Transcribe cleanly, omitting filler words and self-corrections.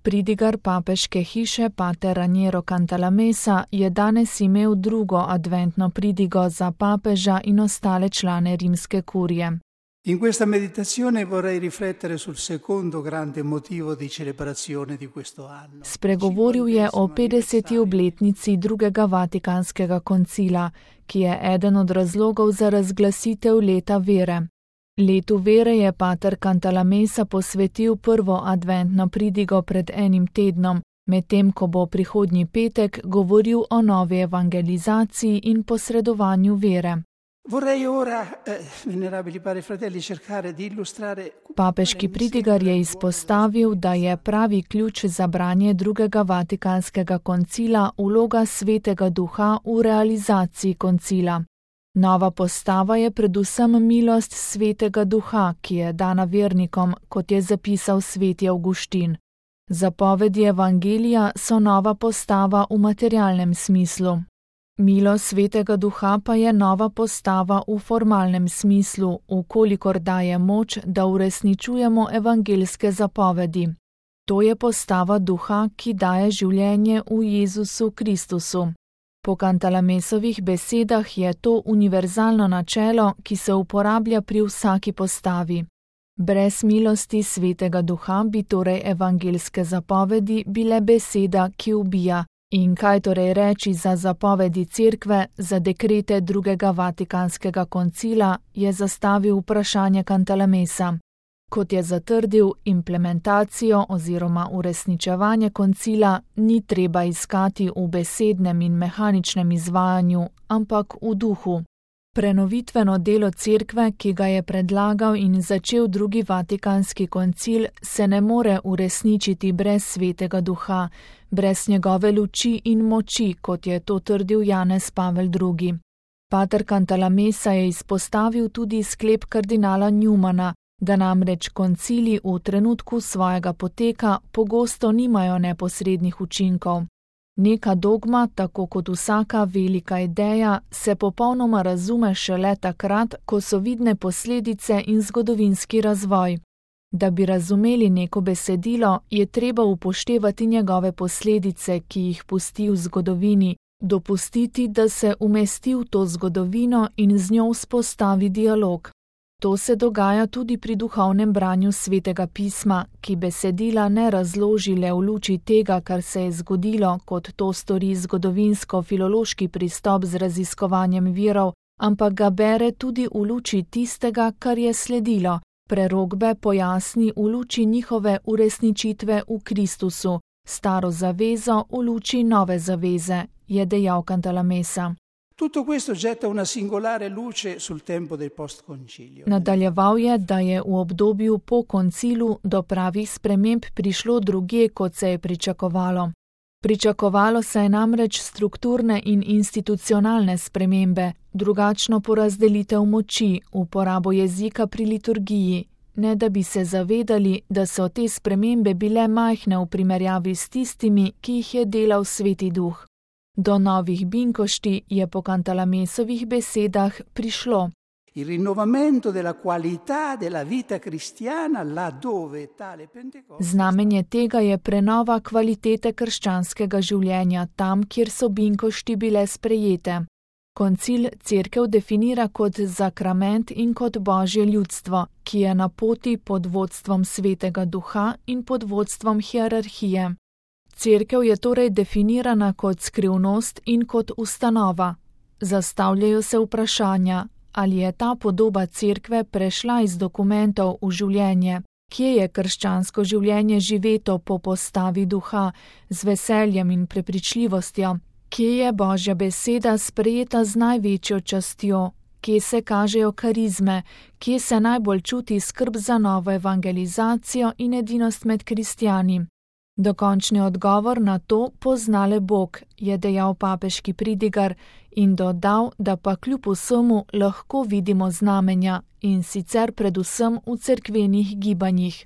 Pridigar papeške hiše pater Raniero Cantalamessa je danes imel drugo adventno pridigo za papeža in ostale člane rimske kurije. In questa meditazione vorrei riflettere sul secondo grande motivo di celebrazione di questo anno. Spregovoril je o 50. obletnici drugega Vatikanskega koncila, ki je eden od razlogov za razglasitev leta vere. Letu vere je pater Cantalamessa posvetil prvo adventno pridigo pred enim tednom, medtem ko bo prihodnji petek govoril o novi evangelizaciji in posredovanju vere. Vorrei ora, venerabili padri fratelli, cercare di illustrare. Papeški pridigar je izpostavil, da je pravi ključ za branje drugega Vatikanskega koncila vloga Svetega Duha v realizaciji koncila. Nova postava je predvsem milost Svetega Duha, ki je dana vernikom, kot je zapisal sveti Avguštin. Zapovedi evangelija so nova postava v materialnem smislu. Milost Svetega Duha pa je nova postava v formalnem smislu, vkolikor daje moč, da uresničujemo evangeljske zapovedi. To je postava Duha, ki daje življenje v Jezusu Kristusu. Po Cantalamessovih besedah je to univerzalno načelo, ki se uporablja pri vsaki postavi. Brez milosti Svetega Duha bi torej evangeljske zapovedi bile beseda, ki ubija. In kaj torej reči za zapovedi Cerkve, za dekrete drugega Vatikanskega koncila, je zastavil vprašanje Cantalamessa. Kot je zatrdil, implementacijo oziroma uresničevanje koncila ni treba iskati v besednem in mehaničnem izvajanju, ampak v duhu. Prenovitveno delo Cerkve, ki ga je predlagal in začel drugi Vatikanski koncil, se ne more uresničiti brez Svetega Duha, brez njegove luči in moči, kot je to trdil Janez Pavel II. Pater Cantalamessa je izpostavil tudi sklep kardinala Newmana, da namreč koncili v trenutku svojega poteka pogosto nimajo neposrednih učinkov. Neka dogma, tako kot vsaka velika ideja, se popolnoma razume šele takrat, ko so vidne posledice in zgodovinski razvoj. Da bi razumeli neko besedilo, je treba upoštevati njegove posledice, ki jih pusti v zgodovini, dopustiti, da se umesti v to zgodovino in z njo vzpostavi dialog. To se dogaja tudi pri duhovnem branju Svetega pisma, ki besedila ne razloži le v luči tega, kar se je zgodilo, kot to stori zgodovinsko-filološki pristop z raziskovanjem virov, ampak ga bere tudi v luči tistega, kar je sledilo, prerokbe pojasni v luči njihove uresničitve v Kristusu, staro zavezo v luči nove zaveze, je dejal Cantalamessa. Tutto questo getta una singolare luce sul tempo del post-concilio. Nadaljeval je, da je v obdobju po koncilu do pravih sprememb prišlo drugje, kot se je pričakovalo. Pričakovalo se je namreč strukturne in institucionalne spremembe, drugačno porazdelitev moči, uporabo jezika pri liturgiji, ne da bi se zavedali, da so te spremembe bile majhne v primerjavi s tistimi, ki jih je delal Sveti Duh. Do novih binkošti je po Cantalamessovih besedah prišlo. Il rinnovamento della qualità della vita cristiana laddove tale Pentecoste. Znamenje tega je prenova kvalitete krščanskega življenja tam, kjer so binkošti bile sprejete. Koncil Cerkev definira kot zakrament in kot Božje ljudstvo, ki je na poti pod vodstvom Svetega Duha in pod vodstvom hierarhije. Cerkev je torej definirana kot skrivnost in kot ustanova. Zastavljajo se vprašanja, ali je ta podoba Cerkve prešla iz dokumentov v življenje, kje je krščansko življenje živeto po postavi Duha, z veseljem in prepričljivostjo, kje je Božja beseda sprejeta z največjo častjo, kje se kažejo karizme, kje se najbolj čuti skrb za novo evangelizacijo in edinost med kristjani. Dokončni odgovor na to pozna le Bog, je dejal papeški pridigar in dodal, da pa kljub vsemu lahko vidimo znamenja in sicer predvsem v cerkvenih gibanjih.